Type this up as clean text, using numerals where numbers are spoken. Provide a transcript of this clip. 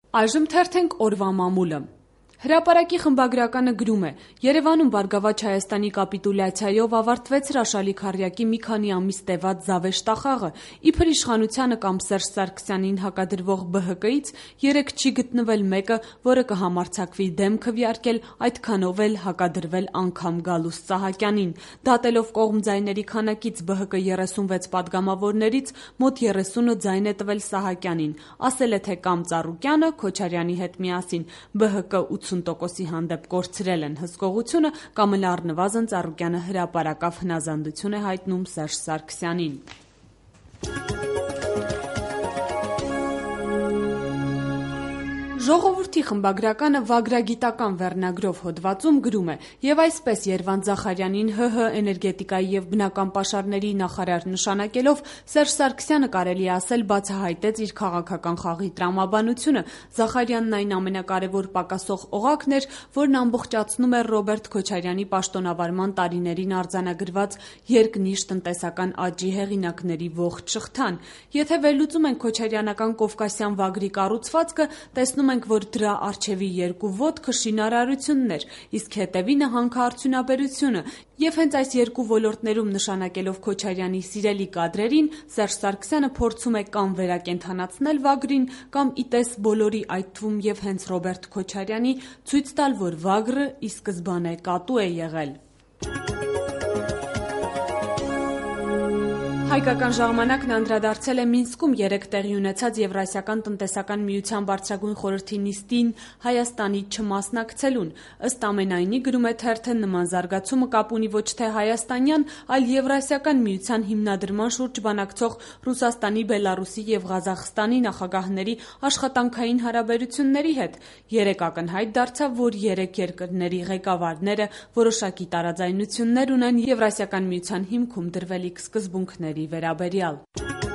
Այժմ թերթենք օրվա մամուլը։ Հրապարակի խմբագրականը գրում է. Երևանում «Բարգավաճ Հայաստանի» կապիտուլյացիայով ավարտվեց հրաշալի քառյակի մի քանի ամիս տևած զավեշտախաղը, իբր իշխանությանը կամ Սերժ Սարգսյանին հակադրվող ԲՀԿ-ից երեկ չի գտնվել մեկը, որը կհամարձակվի դեմ քվեարկել, այդքանով էլ հակադրվել անգամ Գալուստ Սահակյանին։ Դատելով կողմ ձայների քանակից ԲՀԿ 36 падգամավորներից մոտ 30-ը ձայն է տվել Սահակյանին, ասել է թե կամ Ծառուկյանը Քոչարյանի հետ միասին, ԲՀԿ 80%-ի հանդեպ կորցրել են հսկողությունը, կամ էլ առնվազն Ծառուկյանը հրապարակավ հնազանդություն է հայտնում Սերժ Սարգսյանին։ Ժողովուրդի խմբագրականը վագրագիտական վերնագրով հոդվածում գրում է. «Եվ այսպես Երվանդ Զախարյանին ՀՀ էներգետիկայի եւ բնական պաշարների նախարար նշանակելով Սերժ Սարգսյանը կարելի է ասել բացահայտեց իր քաղաքական խաղի տրամաբանությունը։ Զախարյանն այն ամենակարևոր պակասող օղակն էր, որն ամբողջացնում էր Ռոբերտ Քոչարյանի պաշտոնավարման տարիներին արձանագրված երկնիշ տնտեսական աճի հեղինակների ողջ շղթան։ Եթե վերլուծում ենք քոչարյանական կովկասյան վագրի կառուցվածքը, տեսնում ենք, որ դրա առջևի երկու ոտքը շինարարությունն էր, իսկ հետևինը հանքարդյունաբերությունը, եւ հենց այս երկու ոլորտներում նշանակելով Քոչարյանի սիրելի կադրերին, Սերժ Սարգսյանը փորձում է կամ վերակենդանացնել վագրին, կամ իտես բոլորի, այդ թվում եւ հենց Ռոբերտ Քոչարյանի, ցույց տալ, որ վագրը ի սկզբանե կատու է եղել»։ Հայկական ժամանակն անդրադարձել է Մինսկում երեկ տեղի ունեցած Եվրասիական տնտեսական միության բարձրագույն խորհրդի նիստին Հայաստանի չմասնակցելուն։ Ըստ ամենայնի, գրում է թերթը, նման զարգացումը կապ ունի ոչ թե հայաստանյան, այլ Եվրասիական միության հիմնադրման շուրջ բանակցող Ռուսաստանի, Բելառուսի եւ Ղազախստանի նախագահների աշխատանքային հարաբերությունների հետ։ Երեկ ակնհայտ դարձավ, որ երեք երկրների ղեկավարները որոշակի տարաձայնություններ ունեն Եվրասիական միության հիմքում դրվելիք սկզբունքների վերաբերյալ։